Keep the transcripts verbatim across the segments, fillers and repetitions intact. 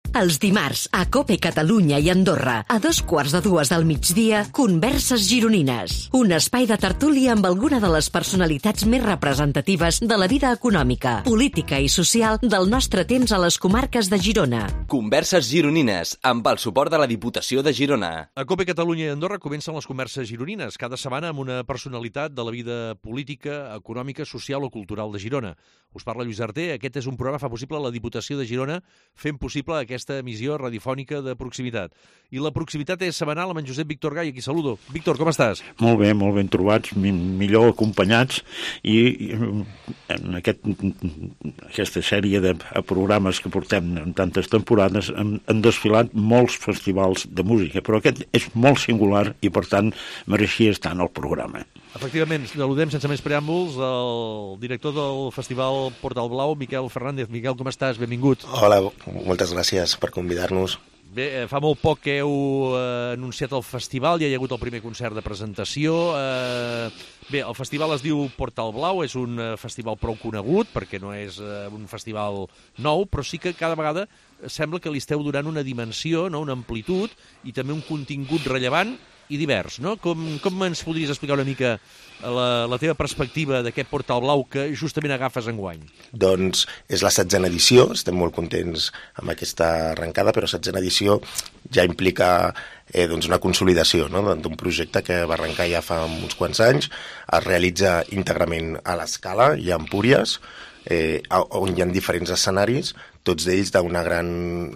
Els dimarts, a COPE Catalunya i Andorra, a dos quarts de dues del migdia, Converses Gironines. Un espai de tertúlia amb alguna de les personalitats més representatives de la vida econòmica, política i social del nostre temps a les comarques de Girona. Converses Gironines, amb el suport de la Diputació de Girona. A COPE Catalunya i Andorra comencen les Converses Gironines, cada setmana amb una personalitat de la vida política, econòmica, social o cultural de Girona. Us parla Lluís Arter, aquest és un programa que fa possible la Diputació de Girona, fent possible aquesta emissió radiofònica de proximitat. I la proximitat és setmanal amb en Josep Víctor Gai, aquí saludo. Víctor, com estàs? Molt bé, molt ben trobats, millor acompanyats, i, i en aquest, aquesta sèrie de programes que portem en tantes temporades han, han desfilat molts festivals de música, però aquest és molt singular i, per tant, mereixia estar en el programa. Efectivament, saludem sense més preàmbuls el director del Festival Portal Blau, Miquel Fernández. Miquel, com estàs? Benvingut. Hola, moltes gràcies per convidar-nos. Bé, fa molt poc que heu eh, anunciat el festival, ja hi ha hagut el primer concert de presentació. Eh, bé, el festival es diu Portal Blau, és un eh, festival prou conegut, perquè no és eh, un festival nou, però sí que cada vegada sembla que li esteu donant una dimensió, no? Una amplitud i també un contingut rellevant i divers, no? Com, com ens podries explicar una mica la, la teva perspectiva d'aquest Portal Blau que justament agafes enguany? Doncs és la setzena edició, estem molt contents amb aquesta arrencada, però setzena edició ja implica eh, doncs una consolidació, no? D'un projecte que va arrencar ja fa uns quants anys, es realitza íntegrament a l'Escala i a Empúries, eh, on hi ha diferents escenaris, tots d'ells d'una gran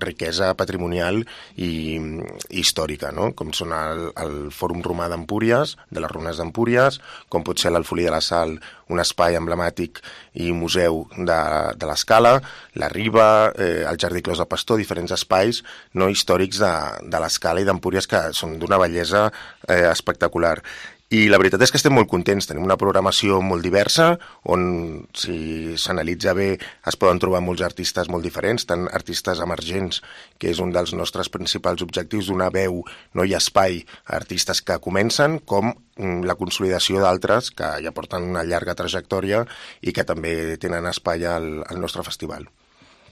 riquesa patrimonial i, i històrica, no? Com són el, el Fòrum Romà d'Empúries, de les runes d'Empúries, com pot ser l'Alfolí de la Sal, un espai emblemàtic i museu de, de l'Escala, la Riba, eh, el Jardí Clos de Pastor, diferents espais no històrics de, de l'Escala i d'Empúries que són d'una bellesa eh, espectacular. I la veritat és que estem molt contents, tenim una programació molt diversa, on si s'analitza bé es poden trobar molts artistes molt diferents, tant artistes emergents, que és un dels nostres principals objectius, donar veu no hi ha espai a artistes que comencen, com la consolidació d'altres que ja porten una llarga trajectòria i que també tenen espai al, al nostre festival.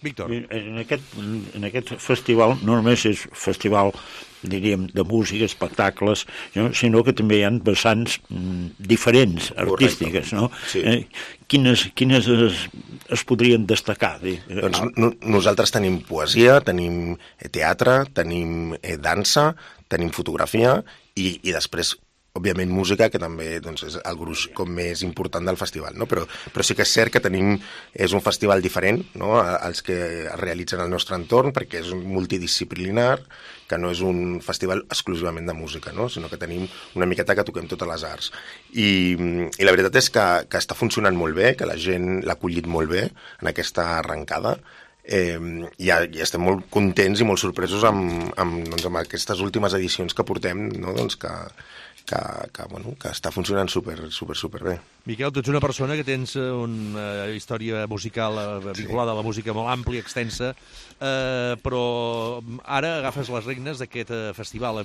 Víctor. En aquest, en aquest festival no només és festival, diríem, de música, espectacles, no? Sinó que també hi ha vessants mm, diferents, artístiques, no? Sí. Eh, quines quines es, es podrien destacar? Doncs no, nosaltres tenim poesia, tenim teatre, tenim eh, dansa, tenim fotografia i, i després òbviament música, que també doncs, és el gruix com més important del festival, no? Però, però sí que és cert que tenim, és un festival diferent, no? Els que es realitzen al nostre entorn, perquè és un multidisciplinar, que no és un festival exclusivament de música, no? Sinó que tenim una miqueta que toquem totes les arts. I, i la veritat és que, que està funcionant molt bé, que la gent l'ha acollit molt bé en aquesta arrencada, Eh, i, i estem molt contents i molt sorpresos amb, amb, doncs, amb aquestes últimes edicions que portem, no? Doncs que, que, que, bueno, que està funcionant super, super, super bé. Miquel, tu ets una persona que tens una història musical vinculada a la música molt àmplia, extensa, eh, però ara agafes les regnes d'aquest festival.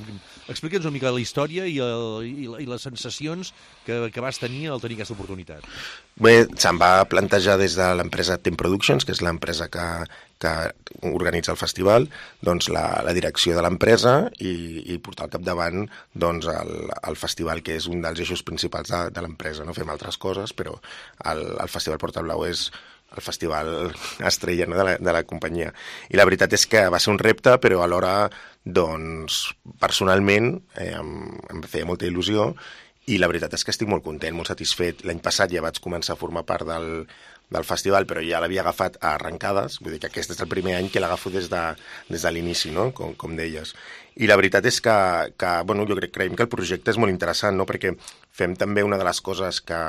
Explica'ns una mica la història i, el, i, i les sensacions que, que vas tenir al tenir aquesta oportunitat. Bé, se'n va plantejar des de l'empresa Tem Productions, que és l'empresa que, que organitza el festival, doncs la, la direcció de l'empresa i, i portar al capdavant doncs, el, el festival, que és un dels eixos principals de, de l'empresa. No fem altres coses, però el, el Festival Portal Blau és el festival estrella, no? de, la, de la companyia. I la veritat és que va ser un repte, però alhora, doncs, personalment, eh, em, em feia molta il·lusió. I la veritat és que estic molt content, molt satisfet. L'any passat ja vaig començar a formar part del, del festival, però ja l'havia agafat a arrencades, vull dir que aquest és el primer any que l'agafo des de, des de l'inici, no? com, com deies. I la veritat és que, que bueno, jo crec, creiem que el projecte és molt interessant, no? Perquè fem també una de les coses que,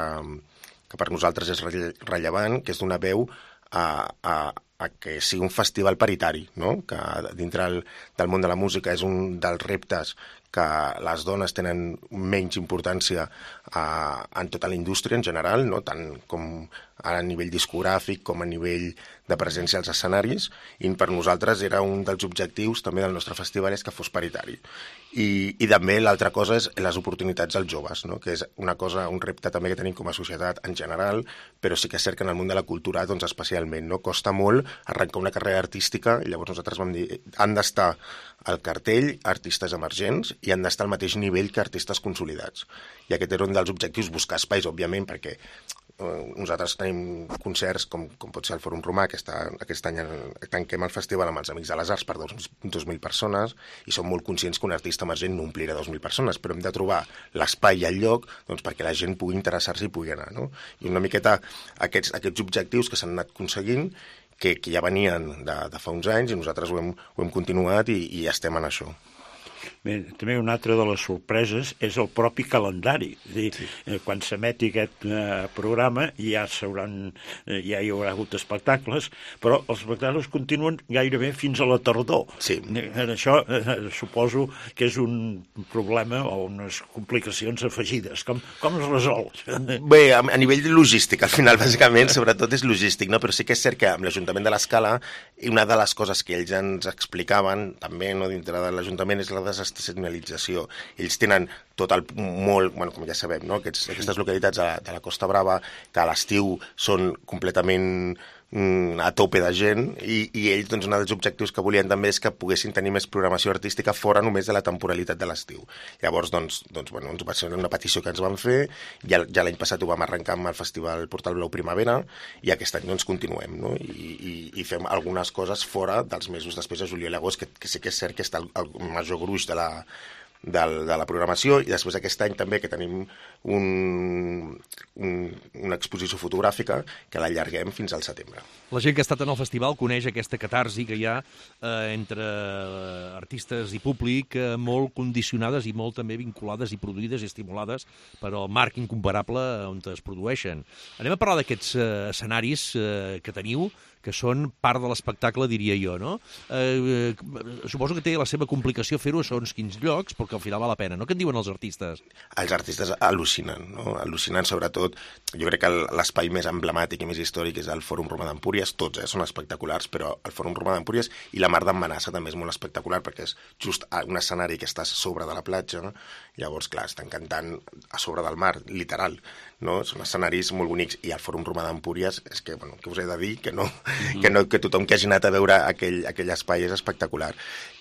que per nosaltres és rellevant, que és donar veu a, a, a que sigui un festival paritari, no? Que dintre el, del món de la música és un dels reptes que les dones tenen menys importància a, en tota la indústria en general, no? Tant com a nivell discogràfic com a nivell de presència als escenaris, i per nosaltres era un dels objectius també del nostre festival és que fos paritari. I, i també l'altra cosa és les oportunitats als joves, no? Que és una cosa, un repte també que tenim com a societat en general, però sí que és cert que en el món de la cultura doncs especialment, no? Costa molt arrencar una carrera artística, i llavors nosaltres vam dir han d'estar al cartell artistes emergents i han d'estar al mateix nivell que artistes consolidats. I aquest era un dels objectius, buscar espais, òbviament, perquè nosaltres tenim concerts com, com pot ser el Fòrum Romà, que està, aquest any tanquem el festival amb els Amics de les Arts per dos mil persones, i som molt conscients que un artista emergent no omplirà dos mil persones, però hem de trobar l'espai i el lloc doncs, perquè la gent pugui interessar-se i pugui anar, no? I una miqueta aquests, aquests objectius que s'han anat aconseguint, que, que ja venien de, de fa uns anys, i nosaltres ho hem, ho hem continuat i, i estem en això. Bé, també una altra de les sorpreses és el propi calendari. És dir, sí. eh, quan s'emeti aquest eh, programa ja, eh, ja hi haurà hagut espectacles, però els espectacles continuen gairebé fins a la tardor. Sí. En això eh, suposo que és un problema o unes complicacions afegides. Com, com es resol? Bé, a, a nivell logístic, al final, bàsicament, sobretot és logístic, no? Però sí que és cert que amb l'Ajuntament de l'Escala, una de les coses que ells ens explicaven, també no, dintre de l'Ajuntament, és la desestacionalització. Ells tenen tot el molt, bueno, com ja sabem, no? Aquests, aquestes localitats de la, de la Costa Brava, que a l'estiu són completament mm, a tope de gent, i, i ells, doncs, un dels objectius que volien també és que poguessin tenir més programació artística fora només de la temporalitat de l'estiu. Llavors, doncs, doncs bueno, ens va ser una petició que ens van fer, ja, ja l'any passat ho vam arrencar amb el Festival Portal Blau Primavera, i aquest any doncs continuem, no? I, i, i fem algunes coses fora dels mesos després de juliol i agost, que, que sí que és cert que està el, el major gruix de la Del, de la programació, i després aquest any també que tenim un, un, una exposició fotogràfica que l'allarguem fins al setembre. La gent que ha estat en el festival coneix aquesta catarsi que hi ha eh, entre artistes i públic eh, molt condicionades i molt també vinculades i produïdes i estimulades per al marc incomparable on es produeixen. Anem a parlar d'aquests eh, escenaris eh, que teniu, que són part de l'espectacle, diria jo, no? Eh, eh, suposo que té la seva complicació fer-ho a segons quins llocs, perquè al final val la pena, no? Què en diuen els artistes? Els artistes al·lucinen, no? Al·lucinen sobretot, jo crec que l'espai més emblemàtic i més històric és el Fòrum Romà d'Empúries, tots eh, són espectaculars, però el Fòrum Romà d'Empúries i la Mar d'en Manassa també és molt espectacular, perquè és just un escenari que està a sobre de la platja, no? Llavors, clar, estan cantant a sobre del mar, literal, no? Són escenaris molt bonics, i el Fòrum Romà d'Empúries, és que, bueno, que us he de dir, que no, mm. que, no, que tothom que hagi anat a veure aquell, aquell espai és espectacular.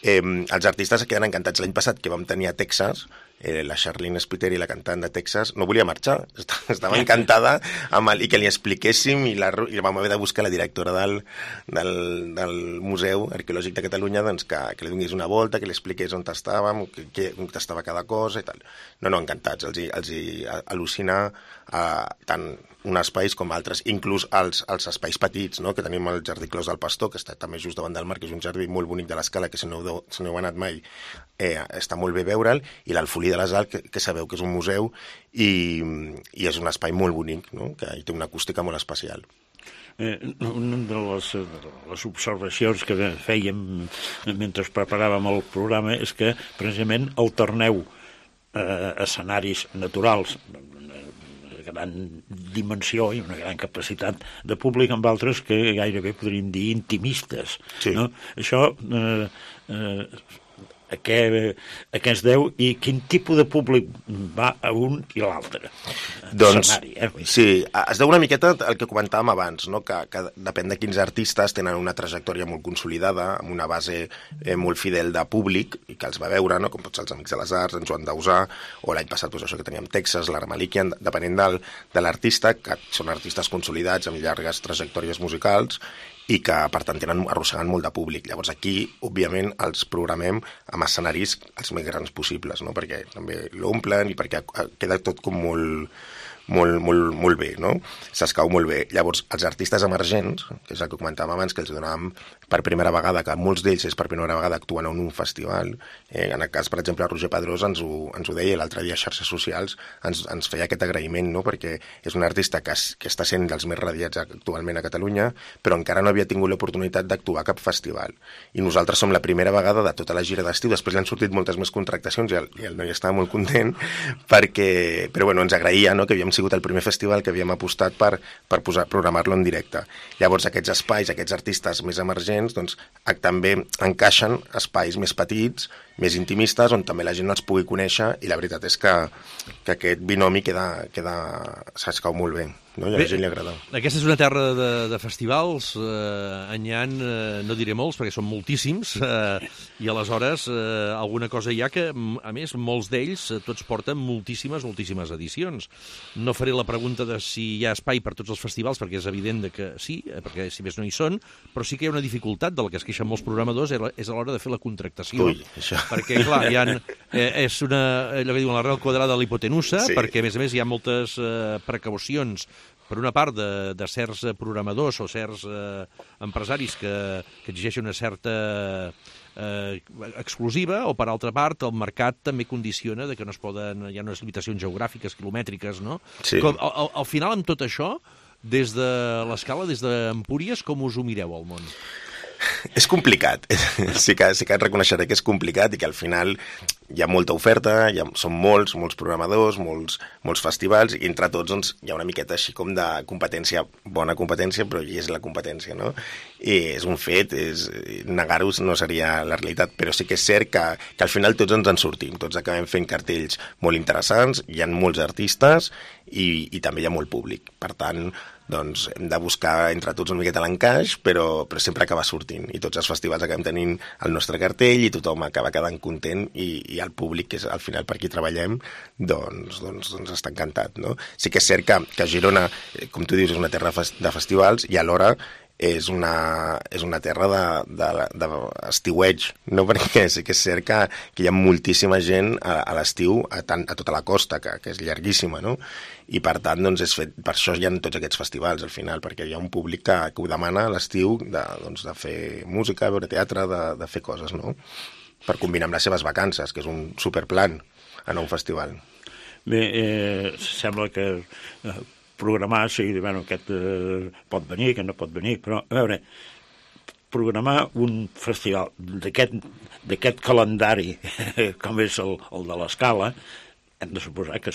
Eh, els artistes es queden encantats. L'any passat, que vam tenir a Texas, eh, la Charlene Spiteri, la cantant de Texas, no volia marxar, estava encantada amb el, i que li expliquéssim, i, la, i vam haver de buscar la directora del, del, del Museu Arqueològic de Catalunya, doncs, que, que li donés una volta, que li expliqués on estàvem, que, que, on estava cada cosa i tal. No, no, encantats, els hi, els hi al·lucina eh, tant un espais com altres, inclús els, els espais petits, no? Que tenim el Jardí Clos del Pastor, que està també just davant del mar, que és un jardí molt bonic de l'Escala, que si no, si no heu anat mai, eh, està molt bé veure'l, i l'Alfolí de les Alps, que, que sabeu que és un museu, i, i és un espai molt bonic, no? Que hi té una acústica molt especial. Eh, una de les, de les observacions que fèiem mentre preparàvem el programa és que precisament alterneu eh, escenaris naturals gran dimensió i una gran capacitat de públic amb altres que gairebé podríem dir intimistes. Sí. No? Això eh, eh, a què, a què es deu i quin tipus de públic va a un i l'altre? Doncs, eh? sí, es deu una miqueta el que comentàvem abans, no? que, que depèn de quins artistes tenen una trajectòria molt consolidada, amb una base eh, molt fidel de públic, i que els va veure, no? Com pot ser els Amics de les Arts, en Joan Dausà, o l'any passat doncs, això que teníem Texas, l'Ara Malikian, depenent del, de l'artista, que són artistes consolidats amb llargues trajectòries musicals, i que, per tant, tenen arrossegant molt de públic. Llavors, aquí, òbviament, els programem amb escenaris els més grans possibles, no? Perquè també l'omplen i perquè queda tot com molt, molt, molt, molt bé, no? S'escau molt bé. Llavors, els artistes emergents, que és el que comentàvem abans, que els donàvem per primera vegada, que molts d'ells és per primera vegada actuen en un festival. Eh, en el cas, per exemple, Roger Pedrós ens ho, ens ho deia l'altre dia a xarxes socials, ens, ens feia aquest agraïment, no? Perquè és un artista que, es, que està sent dels més radiats actualment a Catalunya, però encara no havia tingut l'oportunitat d'actuar a cap festival. I nosaltres som la primera vegada de tota la gira d'estiu, després li han sortit moltes més contractacions i el, i el noi estava molt content, perquè, però bueno, ens agraïa, no?, que havíem sigut el primer festival que havíem apostat per, per posar, programar-lo en directe. Llavors aquests espais, aquests artistes més emergents, doncs també encaixen espais més petits, més intimistes, on també la gent els pugui conèixer, i la veritat és que, que aquest binomi queda, queda, s'escau molt bé. No? I a la gent li agrada. Aquesta és una terra de, de festivals, eh, en hi ha, eh, no diré molts, perquè són moltíssims, eh, i aleshores eh, alguna cosa hi ha que, a més, molts d'ells, eh, tots porten moltíssimes, moltíssimes edicions. No faré la pregunta de si hi ha espai per tots els festivals, perquè és evident de que sí, eh, perquè si més no hi són, però sí que hi ha una dificultat de la que es queixen molts programadors, és a l'hora de fer la contractació. Ui, això. Perquè, clar, hi ha, eh, és una, allò que diuen, la real quadrada de l'hipotenusa, sí. Perquè, a més a més, hi ha moltes eh, precaucions per una part de, de certs programadors o certs eh, empresaris que, que exigeixen una certa eh, exclusiva, o per altra part el mercat també condiciona de que no es poden, hi ha unes limitacions geogràfiques, quilomètriques, no? Sí. Com, al, al final, amb tot això, des de l'Escala, des d'Empúries, com us ho mireu al món? És complicat, sí que, sí que reconeixeré que és complicat i que al final hi ha molta oferta, hi ha, són molts, molts programadors, molts, molts festivals, i entre tots doncs, hi ha una miqueta així com de competència, bona competència, però hi és la competència, no? I és un fet, és, negar-ho no seria la realitat, però sí que és cert que, que al final tots ens en sortim, tots acabem fent cartells molt interessants, hi ha molts artistes i, i també hi ha molt públic, per tant, doncs hem de buscar entre tots una miqueta l'encaix, però, però sempre acaba sortint, i tots els festivals acabem tenint el nostre cartell i tothom acaba quedant content, i, i el públic, que és al final per qui treballem, doncs, doncs, doncs està encantat, no? Sí que és cert que, que Girona, com tu dius, és una terra de festivals i alhora és una, és una terra d'estiueig, no? Perquè sí que és cert que, que hi ha moltíssima gent a, a l'estiu, a, a tota la costa, que, que és llarguíssima, no? I per tant, doncs, és fet, per això hi ha tots aquests festivals al final, perquè hi ha un públic que, que ho demana a l'estiu de, doncs, de fer música, veure teatre, de, de fer coses, no? Per combinar amb les seves vacances, que és un superplan anar a un festival. Bé, eh, sembla que eh, programar, sí, bueno, aquest eh, pot venir, que no pot venir, però, a veure, programar un festival d'aquest calendari, com és el, el de l'Escala, hem de suposar que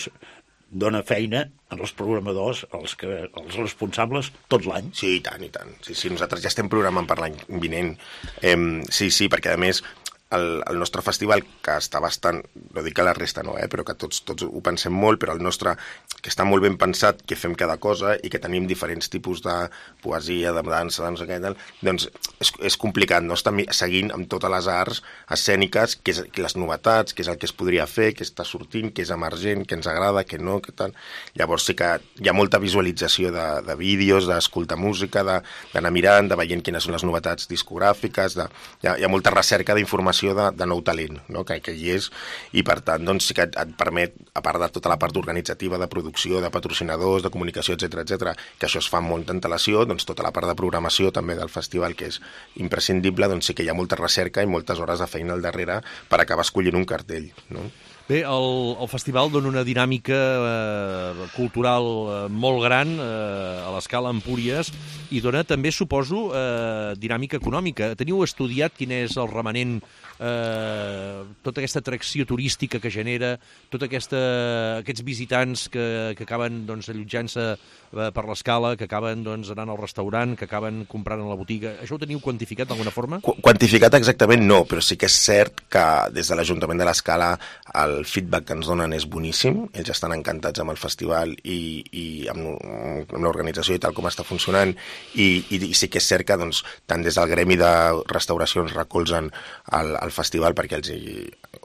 dona feina als programadors, als, que, als responsables, tot l'any. Sí, i tant, i tant. Sí, sí, nosaltres ja estem programant per l'any vinent. Eh, sí, sí, perquè a més el, el nostre festival, que està bastant, no dic que la resta no, eh, però que tots, tots ho pensem molt, però el nostre, que està molt ben pensat, que fem cada cosa i que tenim diferents tipus de poesia, de dansa, de no sé què, doncs és, és complicat, no? Estar seguint amb totes les arts escèniques, que és, que les novetats, que és el que es podria fer, que està sortint, que és emergent, que ens agrada, que no, que tal. Llavors sí que hi ha molta visualització de, de vídeos, d'escoltar música, d'anar mirant, de veient quines són les novetats discogràfiques, de, hi, ha, hi ha molta recerca d'informació de, de nou talent, no? que, que hi és, i per tant doncs, sí que et, et permet, a part de tota la part organitzativa, de producció, de patrocinadors, de comunicació, etcètera, etcètera, que això es fa amb molta antelació, doncs tota la part de programació també del festival, que és imprescindible, doncs sí que hi ha molta recerca i moltes hores de feina al darrere per acabar escollint un cartell, no? Bé, el, el festival dona una dinàmica eh, cultural eh, molt gran eh, a l'Escala Empúries i dona també, suposo, eh, dinàmica econòmica. Teniu estudiat quin és el remanent, eh, tota aquesta atracció turística que genera, tots aquests visitants que, que acaben doncs, allotjant-se eh, per l'Escala, que acaben doncs, anant al restaurant, que acaben comprant a la botiga. Això ho teniu quantificat d'alguna forma? Qu quantificat exactament no, però sí que és cert que des de l'Ajuntament de l'Escala el feedback que ens donen és boníssim, ells estan encantats amb el festival i, i amb, amb l'organització i tal com està funcionant, i, i, i sí que és cert que doncs, tant des del gremi de restauracions recolzen el, el festival perquè els,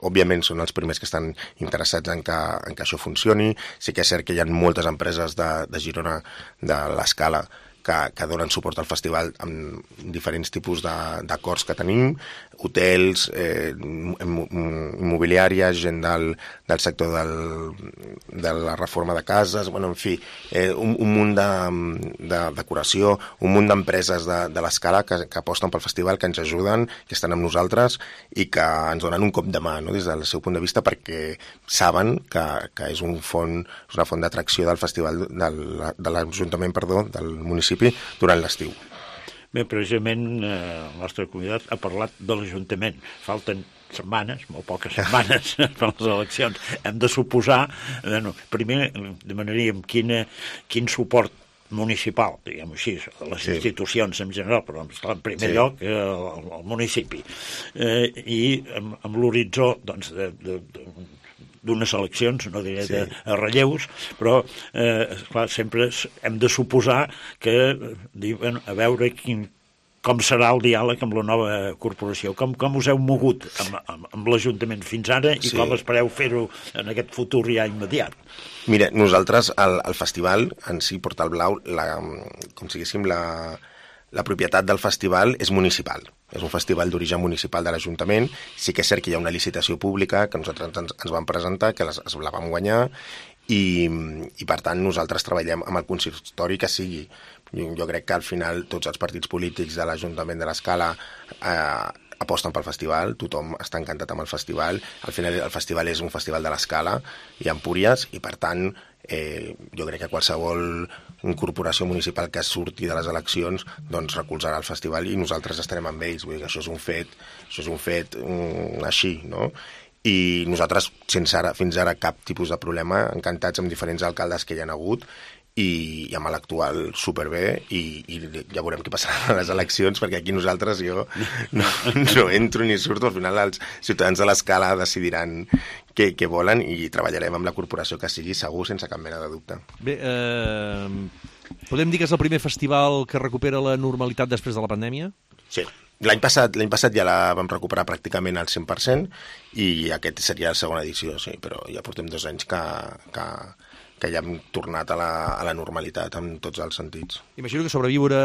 òbviament són els primers que estan interessats en que, en que això funcioni. Sí que és cert que hi ha moltes empreses de, de Girona, de l'Escala, que, que donen suport al festival amb diferents tipus d'acords que tenim, hotels, eh, immobiliària, gent del, del sector del, de la reforma de cases, bueno, en fi, eh, un, un munt de, de decoració, un munt d'empreses de, de l'escala que, que aposten pel festival, que ens ajuden, que estan amb nosaltres i que ens donen un cop de mà, no?, des del seu punt de vista, perquè saben que, que és, un font, és una font d'atracció del festival del, de l'Ajuntament, perdó, del municipi durant l'estiu. Bé, precisament eh, el nostre convidat ha parlat de l'Ajuntament. Falten setmanes, molt poques setmanes per les eleccions. Hem de suposar, eh, no, primer demanaríem quina, quin suport municipal, diguem-ho així, a les sí. institucions en general, però en primer sí. lloc eh, al, al municipi. Eh, I amb, amb l'horitzó, doncs, de, de, de d'unes eleccions, no diré sí. de relleus, però eh, clar, sempre hem de suposar que diuen a veure quin, com serà el diàleg amb la nova corporació, com, com us heu mogut amb, amb, amb l'Ajuntament fins ara i sí. com espereu fer-ho en aquest futur ja immediat. Mira, nosaltres, el, el festival en si, Portal Blau, la, com si diguéssim, la, la propietat del festival és municipal. És un festival d'origen municipal de l'Ajuntament. Sí que és cert que hi ha una licitació pública que nosaltres ens, ens vam presentar, que les, la vam guanyar, i, i per tant nosaltres treballem amb el consistori que sigui. Jo, jo crec que al final tots els partits polítics de l'Ajuntament de l'Escala eh, aposten pel festival, tothom està encantat amb el festival. Al final el festival és un festival de l'Escala i Empúries, i per tant eh, jo crec que qualsevol corporació municipal que surti de les eleccions doncs recolzarà el festival i nosaltres estarem amb ells. Vull dir que això és un fet, això és un fet um, així, no? I nosaltres, sense ara, fins ara cap tipus de problema, encantats amb diferents alcaldes que hi ha hagut, i, i amb l'actual superbé, i, i ja veurem què passarà a les eleccions, perquè aquí nosaltres jo no, no entro ni surto. Al final els ciutadans de l'Escala decidiran què, què volen i treballarem amb la corporació que sigui, segur, sense cap mena de dubte. Bé, eh, podem dir que és el primer festival que recupera la normalitat després de la pandèmia? Sí. L'any passat, l'any passat ja la vam recuperar pràcticament al cent per cent i aquest seria la segona edició, sí, però ja portem dos anys que, que, que ja hem tornat a la, a la normalitat en tots els sentits. Imagino que sobreviure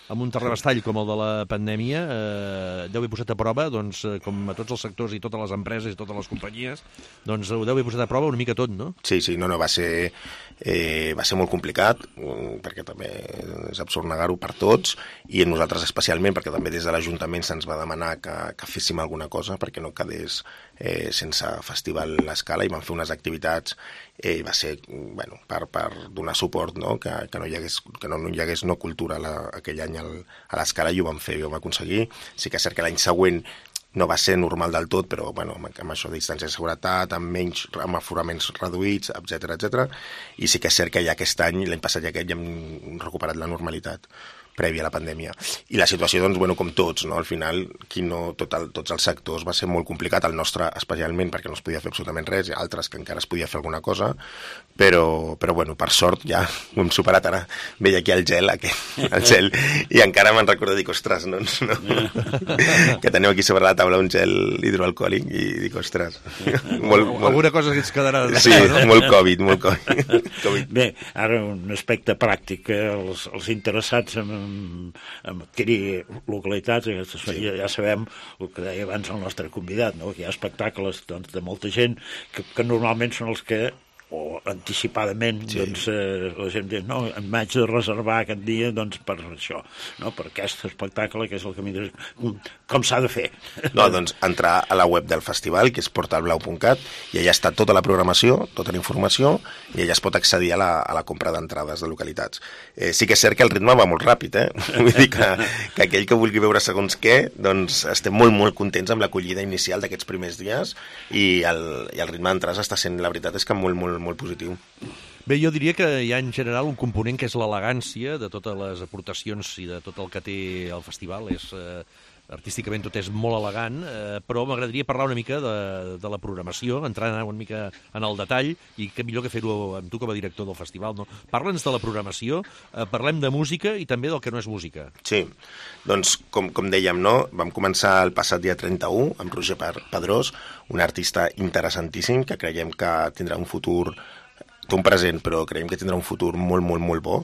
amb un terrabastall com el de la pandèmia eh, deu haver posat a prova, doncs, com a tots els sectors i totes les empreses i totes les companyies, doncs ho deu haver posat a prova una mica tot, no? Sí, sí, no, no, va ser, eh, va ser molt complicat, perquè també és absurd negar-ho per tots, i a nosaltres especialment, perquè també des de l'Ajuntament se'ns va demanar que, que féssim alguna cosa perquè no quedés eh, sense festival l'Escala, i vam fer unes activitats, eh, va ser, bueno, per, per donar suport, no? que, que, no hi hagués, que no, no hi hagués no cultura la, aquell any al, a l'Escala, i ho vam fer, i ho vam aconseguir. Sí que és cert que l'any següent no va ser normal del tot, però bueno, amb, amb això de distància de seguretat, amb menys, amb aforaments reduïts, etcètera, etcètera. I sí que és cert que ja aquest any, l'any passat i aquest, ja hem recuperat la normalitat prèvia a la pandèmia. I la situació, doncs, bueno, com tots, no? Al final, qui no, tot el, tots els sectors va ser molt complicat, el nostre especialment, perquè no es podia fer absolutament res, i altres que encara es podia fer alguna cosa, però, però bueno, per sort ja ho hem superat. Ara veia aquí el gel, aquest, el gel, i encara me'n recordo, dic, ostres, no, no, que teniu aquí sobre la taula un gel hidroalcohòlic, i dic, ostres. molt, molt... Alguna cosa que ens quedarà de sí, no? molt Covid, molt Covid. COVID. Bé, ara un aspecte pràctic, els, els interessats en en adquirir localitats, sí. ja, ja sabem el que deia abans el nostre convidat, no? Que hi ha espectacles, doncs, de molta gent que, que normalment són els que, o anticipadament, sí. doncs, eh, la gent diu, no, em vaig de reservar aquest dia, doncs, per això, no? Per aquest espectacle, que és el camí de... Com s'ha de fer? No, doncs, entrar a la web del festival, que és portal blau punt cat, i allà està tota la programació, tota la informació, i allà es pot accedir a la, a la compra d'entrades de localitats. Eh, sí que és cert que el ritme va molt ràpid, eh? Vull dir que, que aquell que vulgui veure segons què, doncs estem molt, molt contents amb l'acollida inicial d'aquests primers dies, i el, i el ritme d'entrades està sent, la veritat és que molt, molt, molt positiu. Bé, jo diria que hi ha en general un component que és l'elegància de totes les aportacions i de tot el que té el festival. És, eh, artísticament tot és molt elegant, eh, però m'agradaria parlar una mica de, de la programació, entrar una mica en el detall, i què millor que fer-ho amb tu com a director del festival, no? Parla'ns de la programació, eh, parlem de música i també del que no és música. Sí, doncs com, com dèiem, no? Vam començar el passat dia trenta-u amb Roger Pedrós, un artista interessantíssim que creiem que tindrà un futur té un present, però creiem que tindrà un futur molt, molt, molt bo.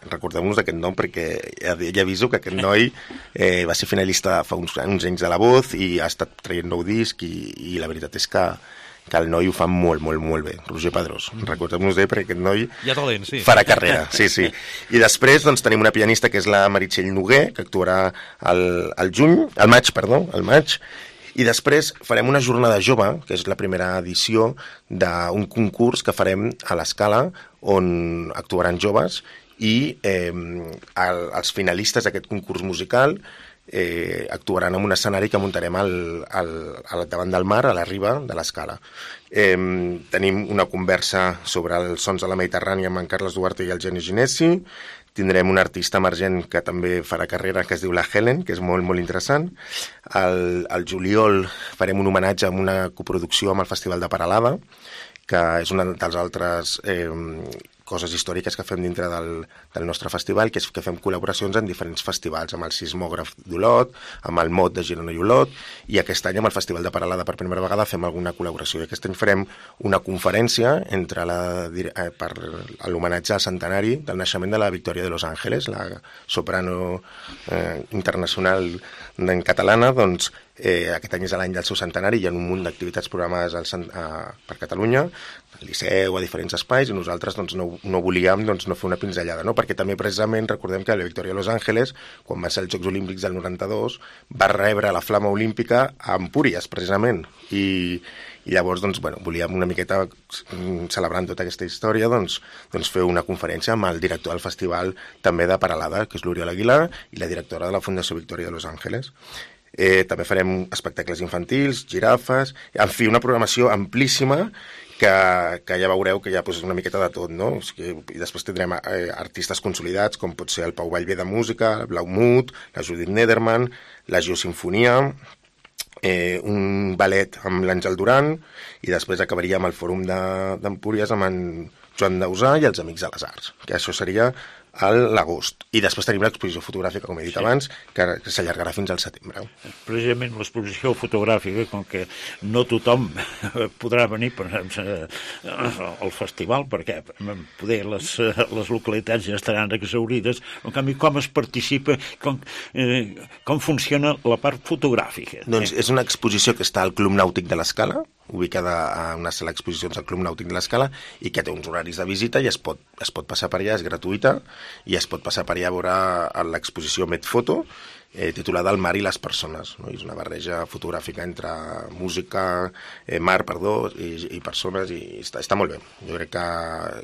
Recordem-nos d'aquest nom perquè ja, ja aviso que aquest noi eh, va ser finalista fa uns, uns anys de La Voz i ha estat traient nou disc i, i la veritat és que que el noi ho fa molt, molt, molt bé. Roger Pedrós, recordem-nos d'ell perquè aquest noi hi ha talent, sí. farà carrera. Sí, sí. I després doncs, tenim una pianista que és la Meritxell Noguer, que actuarà al, al juny, al maig, perdó, al maig, i després farem una jornada jove, que és la primera edició d'un concurs que farem a l'Escala, on actuaran joves, i eh, el, els finalistes d'aquest concurs musical Eh, actuaran en un escenari que muntarem al, al, al davant del mar, a la riba de l'Escala. Eh, tenim una conversa sobre els sons de la Mediterrània amb en Carles Duarte i el Geni Ginesi. Tindrem un artista emergent que també farà carrera, que es diu la Helen, que és molt, molt interessant. Al, al juliol farem un homenatge amb una coproducció amb el Festival de Peralada, que és una dels altres eh, coses històriques que fem dintre del, del nostre festival, que és que fem col·laboracions en diferents festivals, amb el Sismògraf d'Olot, amb el Mot de Girona i Olot, i aquest any amb el Festival de Peralada per primera vegada fem alguna col·laboració. I aquest any farem una conferència entre la, eh, per l'homenatge al centenari del naixement de la Victòria de Los Ángeles, la soprano eh, internacional en catalana. Doncs eh, aquest any és l'any del seu centenari, hi ha un munt d'activitats programades al, a, per Catalunya, al Liceu, a diferents espais, i nosaltres doncs, no, no volíem doncs, no fer una pinzellada, no? Perquè també precisament recordem que la Victòria de Los Ángeles, quan va ser els Jocs Olímpics del noranta-dos, va rebre la flama olímpica a Empúries, precisament, i, i llavors doncs, bueno, volíem una miqueta, celebrant tota aquesta història, doncs, doncs fer una conferència amb el director del festival també de Peralada, que és l'Oriol Aguilar, i la directora de la Fundació Victòria de Los Ángeles. Eh, també farem espectacles infantils, girafes, en fi, una programació amplíssima que, que ja veureu que hi ha pues, una miqueta de tot, no? O sigui, i després tindrem eh, artistes consolidats, com pot ser el Pau Vallvé de música, el Blaumut, la Judith Nederman, la Geosinfonia, eh, un ballet amb l'Àngel Duran, i després acabaria amb el Fòrum d'Empúries de, amb en Joan Dausà i els Amics de les Arts, que això seria a l'agost. I després tenim l'exposició fotogràfica, com he dit sí. abans, que, que s'allargarà fins al setembre. Precisament l'exposició fotogràfica, com que no tothom podrà venir per, al festival, perquè poder les, les localitats ja estaran exaurides, en canvi, com es participa, com, eh, com funciona la part fotogràfica? Doncs és una exposició que està al Club Nàutic de l'Escala, ubicada a una sala d'exposicions al Club Nàutic de l'Escala, i que té uns horaris de visita i es pot, es pot passar per allà, és gratuïta, i es pot passar per allà a veure l'exposició Medfoto, eh, titulada El mar i les persones, no? És una barreja fotogràfica entre música, eh, mar, perdó, i, i persones, i està, està molt bé. Jo crec que,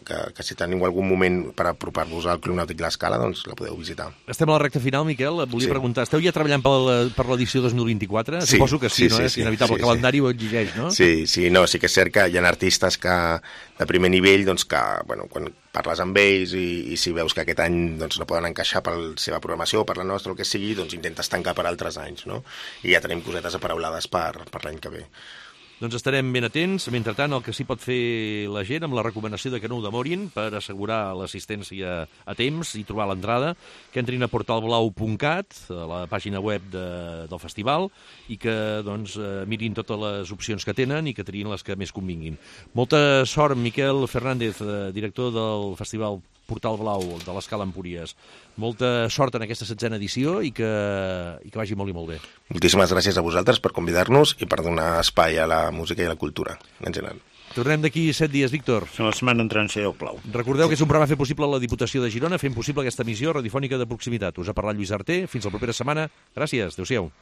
que, que si teniu algun moment per apropar-vos al Club Nàutic de l'Escala, doncs la podeu visitar. Estem a la recta final, Miquel. Et volia sí. preguntar, esteu ja treballant per l'edició dos mil vint-i-quatre? Sí, Suposo que sí, sí, no? Sí, és sí, inevitable, sí, el calendari sí. ho exigeix, no? Sí, sí, no, sí que és cert que hi ha artistes que, de primer nivell, doncs que, bueno, quan parles amb ells i, i si veus que aquest any doncs, no poden encaixar per la seva programació o per la nostra o el que sigui, doncs intentes tancar per altres anys, no? I ja tenim cosetes aparaulades per, per l'any que ve. Doncs estarem ben atents. Mentrestant, el que sí pot fer la gent amb la recomanació de que no ho demorin per assegurar l'assistència a temps i trobar l'entrada, que entrin a portal blau punt cat, a la pàgina web de, del festival, i que doncs, mirin totes les opcions que tenen i que triïn les que més convinguin. Molta sort, Miquel Fernández, director del festival Portal Blau de l'Escala Empúries. Molta sort en aquesta setzena edició i que, i que vagi molt i molt bé. Moltíssimes gràcies a vosaltres per convidar-nos i per donar espai a la música i a la cultura en general. Tornem d'aquí set dies, Víctor. La setmana entrant si Déu plau. Recordeu que és un programa fet possible a la Diputació de Girona, fent possible aquesta emissió radiofònica de proximitat. Us ha parlat Lluís Arter. Fins la propera setmana. Gràcies. Adéu-siau.